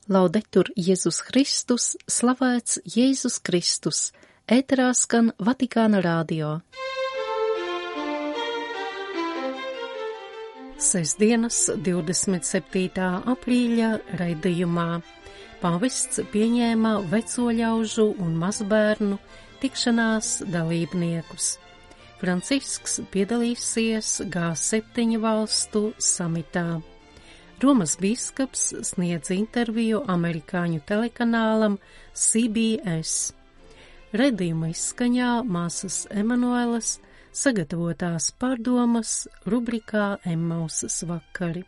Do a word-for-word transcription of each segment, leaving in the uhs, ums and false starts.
Laudetur Jēzus Kristus, slavēts Jēzus Kristus, ēterā skan Vatikāna radio. Sestdienas divdesmit septītā aprīļa raidījumā pāvests pieņēma veco ļaužu un mazbērnu tikšanās dalībniekus. Francisks piedalīsies G septiņu valstu samitā. Romas bīskaps sniedz interviju amerikāņu telekanālam C B S. Redījuma izskaņā māsas Emanuelas sagatavotās pārdomas rubrikā Emmausas vakari.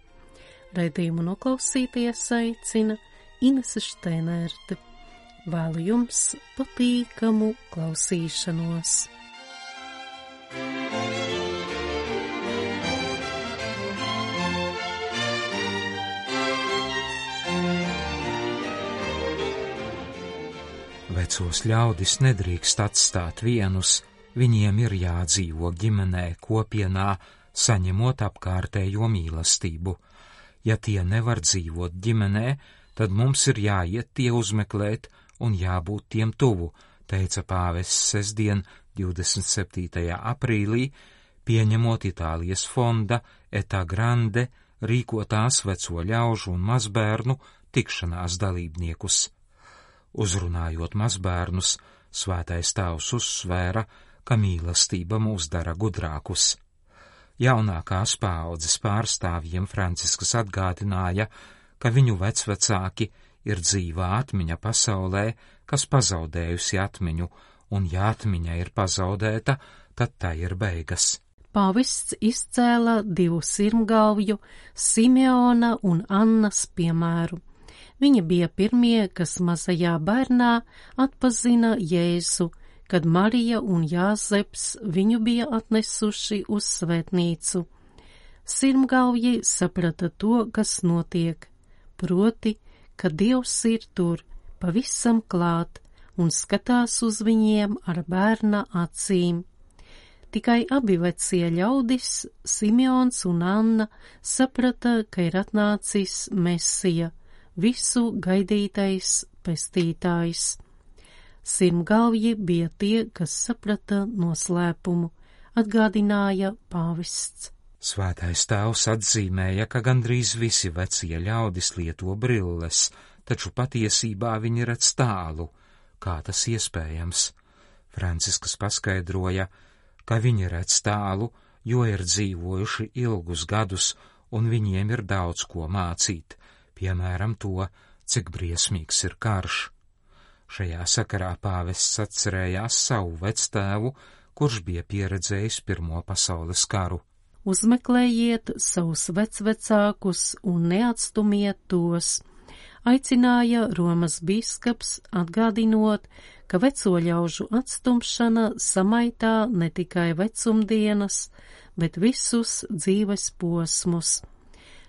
Redījumu noklausīties aicina Inese Šteinerte. Vēlu jums patīkamu klausīšanos. Vecos ļaudis nedrīkst atstāt vienus, viņiem ir jādzīvo ģimenē, kopienā, saņemot apkārtējo mīlestību. Ja tie nevar dzīvot ģimenē, tad mums ir jāiet tie uzmeklēt un jābūt tiem tuvu, teica pāvests sestdien, divdesmit septītajā aprīlī, pieņemot Itālijas fonda Eta Grande rīkotās veco ļaužu un mazbērnu tikšanās dalībniekus. Uzrunājot mazbērnus, Svētais Tēvs uzsvēra, ka mīlestība mūs dara gudrākus. Jaunākās paaudzes pārstāvjiem Francisks atgādināja, ka viņu vecvecāki ir dzīvā atmiņa pasaulē, kas pazaudējusi atmiņu, un ja atmiņa ir pazaudēta, tad tā ir beigas. Pāvests izcēla divu sirmgalvju, Simeona un Annas piemēru. Viņi bija pirmie, kas mazajā bērnā atpazina Jēzu, kad Marija un Jāzeps viņu bija atnesuši uz svētnīcu. Sirmgalvji saprata to, kas notiek, proti, ka Dievs ir tur, pavisam klāt, un skatās uz viņiem ar bērna acīm. Tikai abi vecie ļaudis, Simeons un Anna, saprata, ka ir atnācis Mesija, visu gaidītais pestītājs. Sirmgalvji bija tie, kas saprata noslēpumu, atgādināja pāvests. Svētais Tēvs atzīmēja, ka gandrīz visi vecie ļaudis lieto brilles, taču patiesībā viņi redz tālu. Kā tas iespējams? Francisks paskaidroja, ka viņi redz tālu, jo ir dzīvojuši ilgus gadus, un viņiem ir daudz ko mācīt. Piemēram to, cik briesmīgs ir karš. Šajā sakarā pāvests atcerējās savu vectēvu, kurš bija pieredzējis Pirmo pasaules karu. Uzmeklējiet savus vecvecākus un neatstumiet tos, aicināja Romas bīskaps, atgādinot, ka veco ļaužu atstumšana samaitā ne tikai vecumdienas, bet visus dzīves posmus.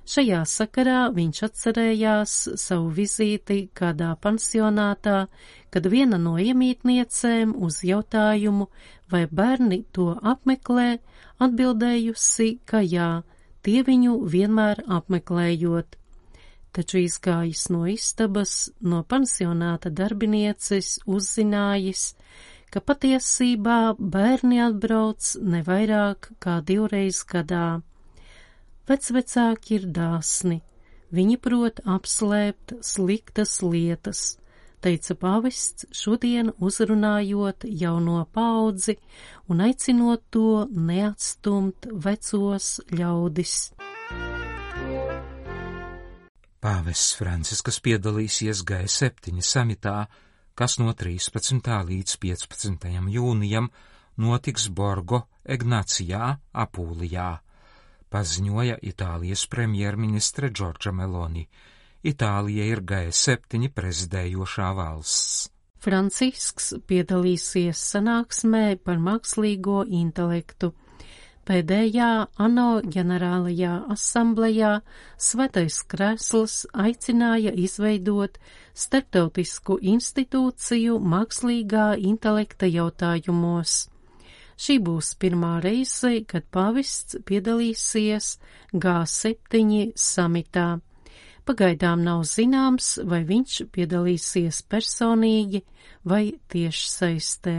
Šajā sakarā viņš atcerējās savu vizīti kādā pansionātā, kad viena no iemītniecēm uz jautājumu, vai bērni to apmeklē, atbildējusi, ka jā, tie viņu vienmēr apmeklējot. Taču izgājis no istabas, no pansionāta darbinieces uzzinājis, ka patiesībā bērni atbrauc ne vairāk kā divreiz gadā. Vecvecāki ir dāsni, viņi prot apslēpt sliktas lietas, teica pāvests šodien uzrunājot jauno paudzi un aicinot to neatstumt vecos ļaudis. Pāvests Francisks piedalīsies G septiņu samitā, kas no trīspadsmitā līdz piecpadsmitajam jūnijam notiks Borgo Egnacijā, Apulijā. Paziņoja Itālijas premjerministre Džordža Meloni. Itālija ir G septiņu prezidējošā valsts. Francisks piedalīsies sanāksmē par mākslīgo intelektu. Pēdējā ANO ģenerālajā asamblejā Svētais Krēsls aicināja izveidot starptautisku institūciju mākslīgā intelekta jautājumos. Šī būs pirmā reize, kad pāvests piedalīsies G septiņu samitā. pagaidām nav zināms, vai viņš piedalīsies personīgi vai tiešsaistē.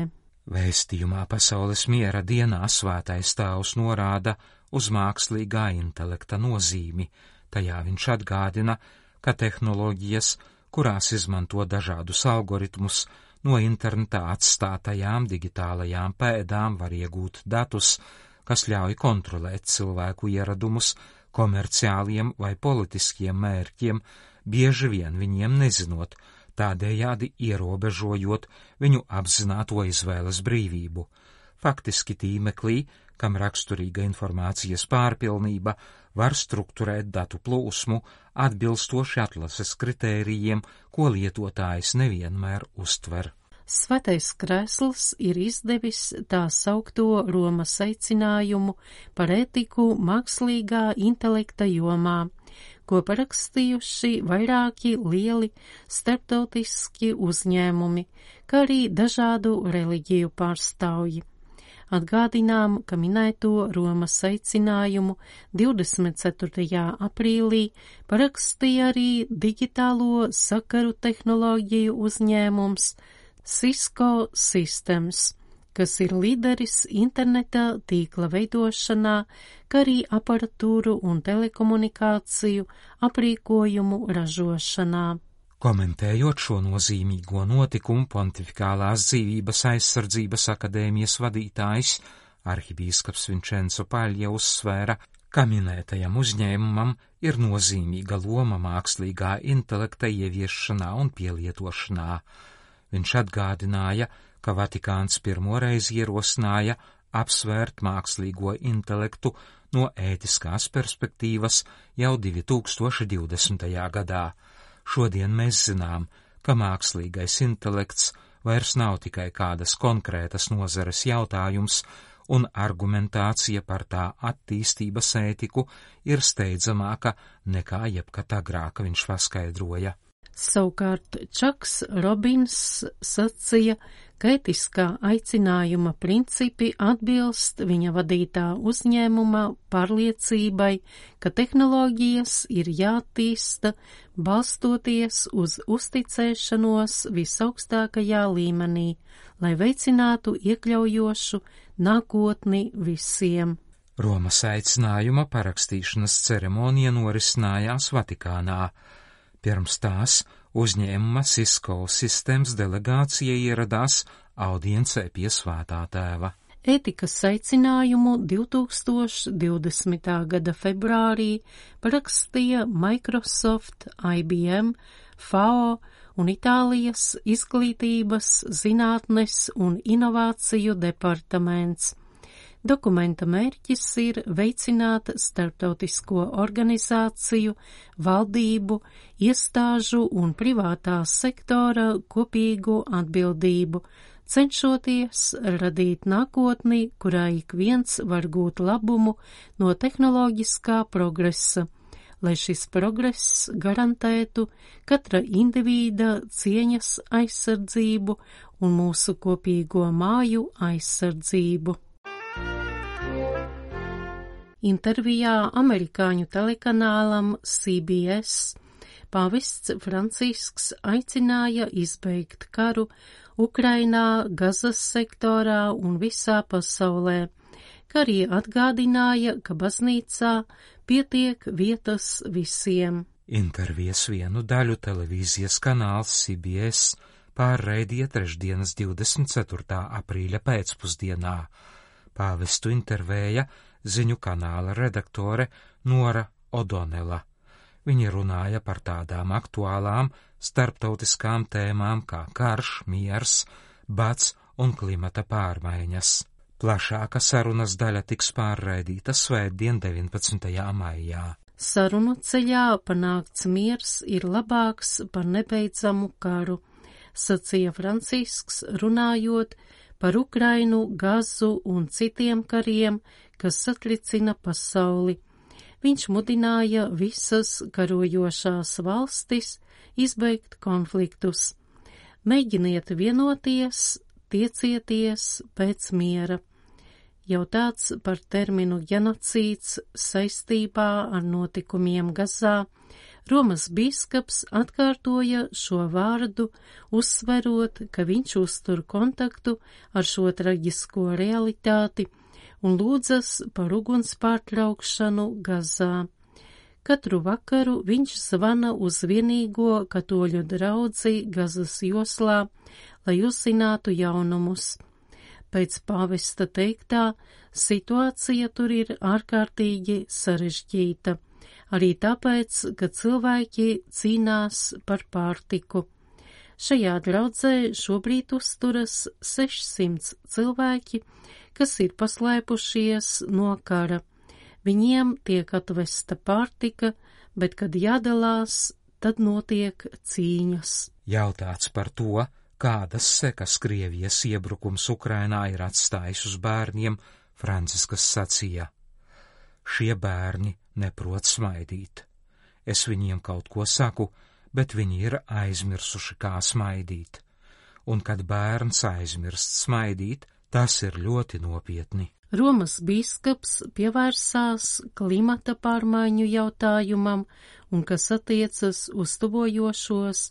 Vēstījumā Pasaules miera dienā Svētais Tēvs norāda uz mākslīgā intelekta nozīmi. Tajā viņš atgādina, ka tehnoloģijas, kurās izmanto dažādus algoritmus, no internetā atstātajām digitālajām pēdām var iegūt datus, kas ļauj kontrolēt cilvēku ieradumus komerciāliem vai politiskiem mērķiem, bieži vien viņiem nezinot, tādējādi ierobežojot viņu apzināto izvēles brīvību. Faktiski tīmeklī, kam raksturīga informācijas pārpilnība, var strukturēt datu plūsmu atbilstoši atlases kritērijiem, ko lietotājs nevienmēr uztver. Svētais Krēsls ir izdevis tā saukto Romas aicinājumu par ētiku mākslīgā intelekta jomā, ko parakstījuši vairāki lieli starptautiski uzņēmumi, kā arī dažādu reliģiju pārstāvji. Atgādinām, ka minēto Romas aicinājumu divdesmit ceturtajā aprīlī parakstīja arī digitālo sakaru tehnoloģiju uzņēmums Cisco Systems, kas ir līderis interneta tīkla veidošanā, kā arī aparatūru un telekomunikāciju aprīkojumu ražošanā. Komentējot šo nozīmīgo notikumu, Pontifikālās dzīvības aizsardzības akadēmijas vadītājs, arhibīskaps Vincenzo Paļja uzsvēra, ka minētajam uzņēmumam ir nozīmīga loma mākslīgā intelekta ieviešanā un pielietošanā. Viņš atgādināja, ka Vatikāns pirmoreiz ierosināja apsvērt mākslīgo intelektu no ētiskās perspektīvas jau divi tūkstoši divdesmitajā gadā. Šodien mēs zinām, ka mākslīgais intelekts vairs nav tikai kādas konkrētas nozares jautājums, un argumentācija par tā attīstības ētiku ir steidzamāka nekā jebkad agrāk, viņš paskaidroja. Savukārt Čaks Robins sacīja, ka ētiskā aicinājuma principi atbilst viņa vadītā uzņēmuma pārliecībai, ka tehnoloģijas ir jātīsta balstoties uz uzticēšanos visaugstākajā līmenī, lai veicinātu iekļaujošu nākotni visiem. Romas aicinājuma parakstīšanas ceremonija norisinājās Vatikānā. Pirms tās uzņēmuma Cisco Systems delegācija ieradās audiencē pie Svētā Tēva. Ētikas aicinājumu divtūkstoš divdesmitā gada februārī parakstīja Microsoft, I B M, F A O un Itālijas izglītības, zinātnes un inovāciju departaments. Dokumenta mērķis ir veicināt starptautisko organizāciju, valdību, iestāžu un privātā sektora kopīgu atbildību, cenšoties radīt nākotni, kurā ik viens var gūt labumu no tehnoloģiskā progresa, lai šis progress garantētu katra indivīda cieņas aizsardzību un mūsu kopīgo māju aizsardzību. Intervijā amerikāņu telekanālam C B S pāvests Francisks aicināja izbeigt karu Ukrainā, Gazas sektorā un visā pasaulē, kā arī atgādināja, ka baznīcā pietiek vietas visiem. Intervijas vienu daļu televīzijas kanāls C B S pārraidīja trešdienas divdesmit ceturtā aprīļa pēcpusdienā. Pāvestu intervēja ziņu kanāla redaktore Nora O'Donnella. Viņa runāja par tādām aktuālām starptautiskām tēmām kā karš, miers, bats un klimata pārmaiņas. Plašāka sarunas daļa tiks pārraidīta svētdien deviņpadsmitajā maijā. Sarunu ceļā panākts miers ir labāks par nebeidzamu karu, sacīja Francisks, runājot par Ukrainu, Gazu un citiem kariem, kas satricina pasauli. Viņš mudināja visas karojošās valstis izbeigt konfliktus. Mēģiniet vienoties, tiecieties pēc miera. Jautāts par terminu genocīds saistībā ar notikumiem Gazā, Romas bīskaps atkārtoja šo vārdu, uzsverot, ka viņš uztur kontaktu ar šo traģisko realitāti un lūdzas par uguns pārtraukšanu Gazā. Katru vakaru viņš zvana uz vienīgo katoļu draudzi Gazas joslā, lai uzzinātu jaunumus. Pēc pāvesta teiktā, situācija tur ir ārkārtīgi sarežģīta, arī tāpēc, ka cilvēki cīnās par pārtiku. Šajā draudzē šobrīd uzturas sešsimt cilvēki, kas ir paslēpušies no kara. Viņiem tiek atvesta pārtika, bet, kad jādalās, tad notiek cīņas. Jautāts par to, kādas sekas Krievijas iebrukums Ukrainā ir atstājis uz bērniem, Franciskas sacīja: šie bērni neprot smaidīt. Es viņiem kaut ko saku, bet viņi ir aizmirsuši, kā smaidīt. Un kad bērns aizmirst smaidīt, tas ir ļoti nopietni. Romas bīskaps pievērsās klimata pārmaiņu jautājumam un, kas attiecas uz tuvojošos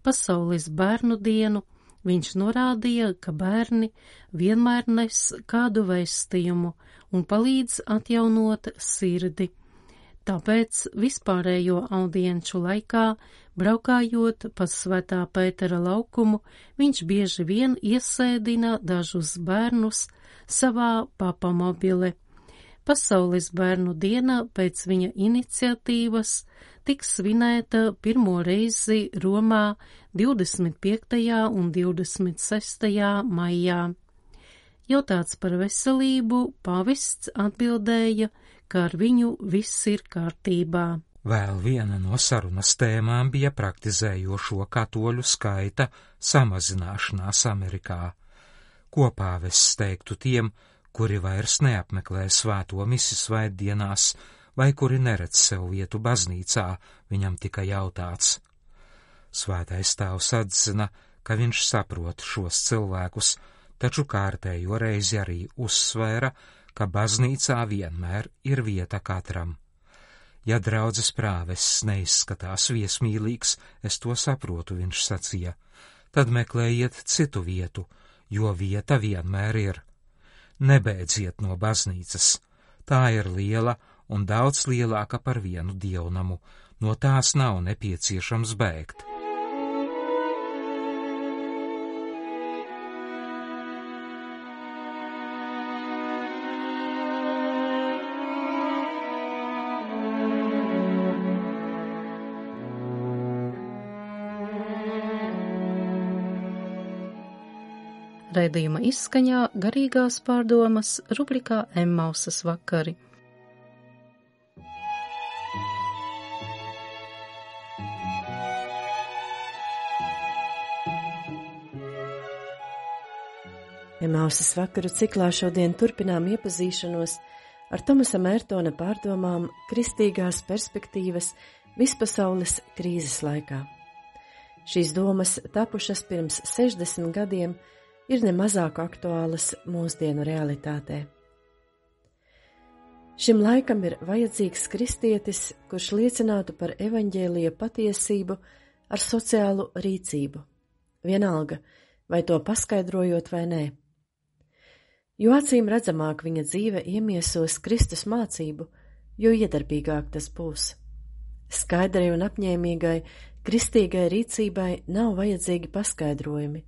pasaules bērnu dienu, viņš norādīja, ka bērni vienmēr nes kādu vēstījumu un palīdz atjaunot sirdi. Tāpēc vispārējo audienču laikā, braukājot pa Svētā Pētera laukumu, viņš bieži vien iesēdina dažus bērnus savā papamobile. Pasaules bērnu diena pēc viņa iniciatīvas tiks svinēta pirmo reizi Romā divdesmit piektajā un divdesmit sestajā maijā. Jautāts par veselību, pāvests atbildēja, ka ar viņu viss ir kārtībā. Vēl viena no sarunas tēmām bija praktizējošo katoļu skaita samazināšanās Amerikā. Ko pāvests teiktu tiem, kuri vairs neapmeklē svēto misi svētdienās vai kuri neredz sev vietu baznīcā, viņam tika jautāts. Svētais tēvs atzina, ka viņš saprot šos cilvēkus, taču kārtējo reizi arī uzsvēra, ka baznīcā vienmēr ir vieta katram. Ja draudzes prāvests neizskatās viesmīlīgs, es to saprotu, viņš sacīja, tad meklējiet citu vietu, jo vieta vienmēr ir. Nebēdziet no baznīcas, tā ir liela un daudz lielāka par vienu dievnamu, no tās nav nepieciešams bēgt. Raidījuma izskaņā garīgās pārdomas rubrikā Emmausas vakari. Emmausas vakaru ciklā šodien turpinām iepazīšanos ar Tomasa Mērtona pārdomām kristīgās perspektīvas vispasaules krīzes laikā. Šīs domas tapušas pirms sešdesmit gadiem ir nemazāk aktuālas mūsdienu realitātē. Šim laikam ir vajadzīgs kristietis, kurš liecinātu par evaņģēlija patiesību ar sociālu rīcību, vienalga, vai to paskaidrojot vai nē. Jo acīm redzamāk viņa dzīve iemiesos Kristus mācību, jo iedarbīgāk tas būs. Skaidrai un apņēmīgai kristīgai rīcībai nav vajadzīgi paskaidrojumi.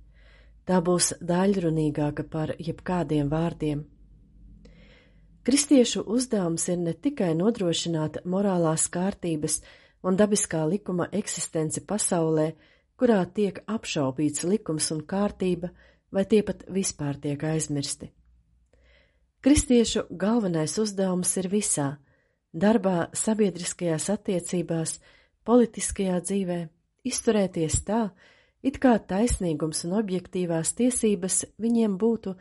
Tā būs daļrunīgāka par jebkādiem vārdiem. Kristiešu uzdevums ir ne tikai nodrošināt morālās kārtības un dabiskā likuma eksistenci pasaulē, kurā tiek apšaubīts likums un kārtība, vai tie pat vispār tiek aizmirsti. Kristiešu galvenais uzdevums ir visā – darbā, sabiedriskajās attiecībās, politiskajā dzīvē, izturēties tā, it kā taisnīgums un objektīvās tiesības viņiem būtu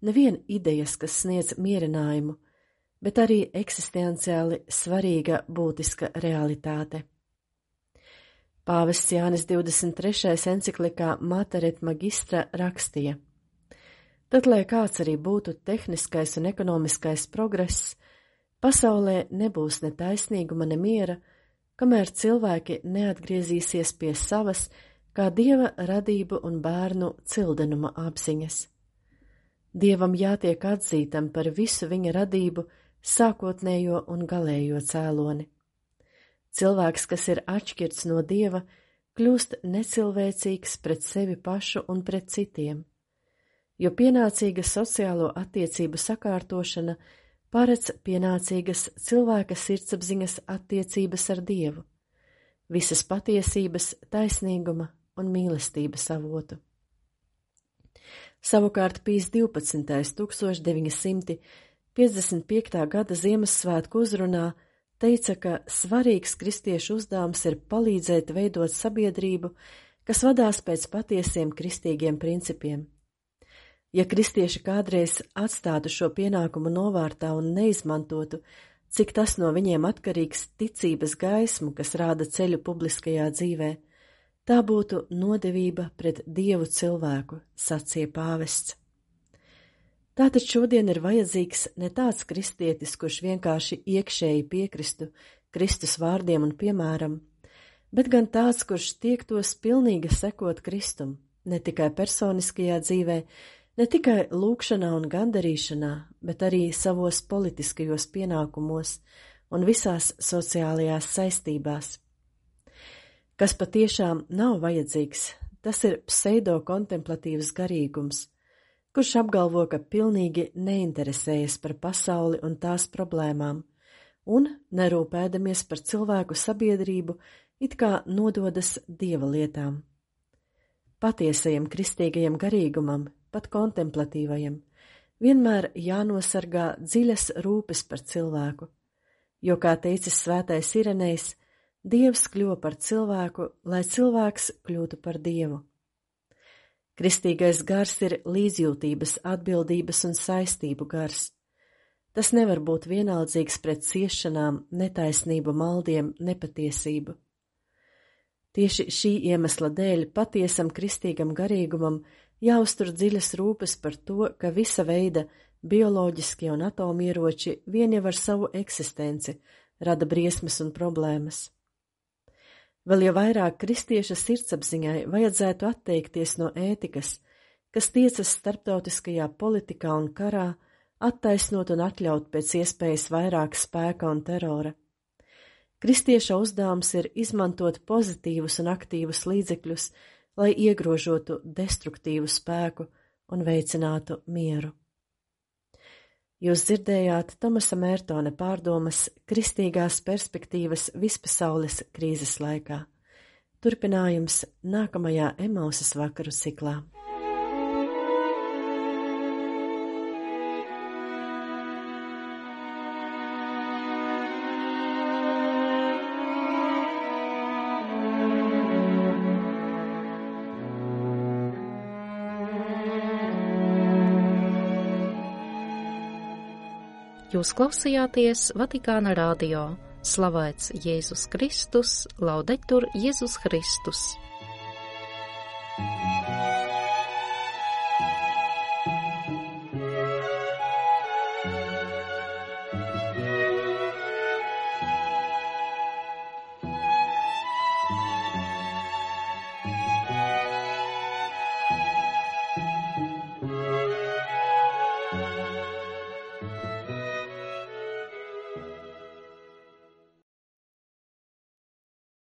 nevien idejas, kas sniedz mierinājumu, bet arī eksistenciāli svarīga būtiska realitāte. Pāvests Jānis divdesmit trešais enciklikā Mater et Magistra rakstīja: Tad, lai kāds arī būtu tehniskais un ekonomiskais progress, pasaulē nebūs ne taisnīguma, ne miera, kamēr cilvēki neatgriezīsies pie savas, kā Dieva radību un bērnu cildenuma apziņas. Dievam jātiek atzītam par visu viņa radību, sākotnējo un galējo cēloni. Cilvēks, kas ir atšķirts no Dieva, kļūst necilvēcīgs pret sevi pašu un pret citiem, jo pienācīga sociālo attiecību sakārtošana paredz pienācīgas cilvēka sirdsapziņas attiecības ar Dievu, visas patiesības, taisnīguma un mīlestības avotu. Savukārt Pijs divpadsmitais tūkstoš deviņi simti piecdesmit piektā gada Ziemassvētku uzrunā teica, ka svarīgs kristiešu uzdevums ir palīdzēt veidot sabiedrību, kas vadās pēc patiesiem kristīgiem principiem. Ja kristieši kādreiz atstātu šo pienākumu novārtā un neizmantotu, cik tas no viņiem atkarīgs ticības gaismu, kas rāda ceļu publiskajā dzīvē, tā būtu nodevība pret Dievu cilvēku, sacīja pāvests. Tātad šodien ir vajadzīgs ne tāds kristietis, kurš vienkārši iekšēji piekristu Kristus vārdiem un piemēram, bet gan tāds, kurš tiektos pilnīgi sekot Kristum, ne tikai personiskajā dzīvē, ne tikai lūgšanā un gandarīšanā, bet arī savos politiskajos pienākumos un visās sociālajās saistībās. Kas patiešām nav vajadzīgs, tas ir pseido-kontemplatīvs garīgums, kurš apgalvo, ka pilnīgi neinteresējas par pasauli un tās problēmām, un, nerūpēdamies par cilvēku sabiedrību, it kā nododas Dieva lietām. Patiesajam kristīgajam garīgumam, pat kontemplatīvajam, vienmēr jānosargā dziļas rūpes par cilvēku, jo, kā teicis svētais Irenejs, Dievs kļuva par cilvēku, lai cilvēks kļūtu par Dievu. Kristīgais gars ir līdzjūtības, atbildības un saistību gars. Tas nevar būt vienaldzīgs pret ciešanām, netaisnību, maldiem, nepatiesību. Tieši šī iemesla dēļ patiesam kristīgam garīgumam jāuztur dziļas rūpes par to, ka visa veida bioloģiskie un atomieroči vien jau ar savu eksistenci rada briesmas un problēmas. Vēl jau vairāk kristieša sirdsapziņai vajadzētu atteikties no ētikas, kas tiecas starptautiskajā politikā un karā, attaisnot un atļaut pēc iespējas vairāk spēka un terora. Kristieša uzdevums ir izmantot pozitīvus un aktīvus līdzekļus, lai iegrožotu destruktīvu spēku un veicinātu mieru. Jūs dzirdējāt Tomasa Mērtona pārdomas kristīgās perspektīvas vispasaules krīzes laikā. Turpinājums nākamajā Emausas vakaru ciklā. Jūs klausījāties Vatikāna radio. Slavēts Jēzus Kristus, laudetur Jēzus Kristus.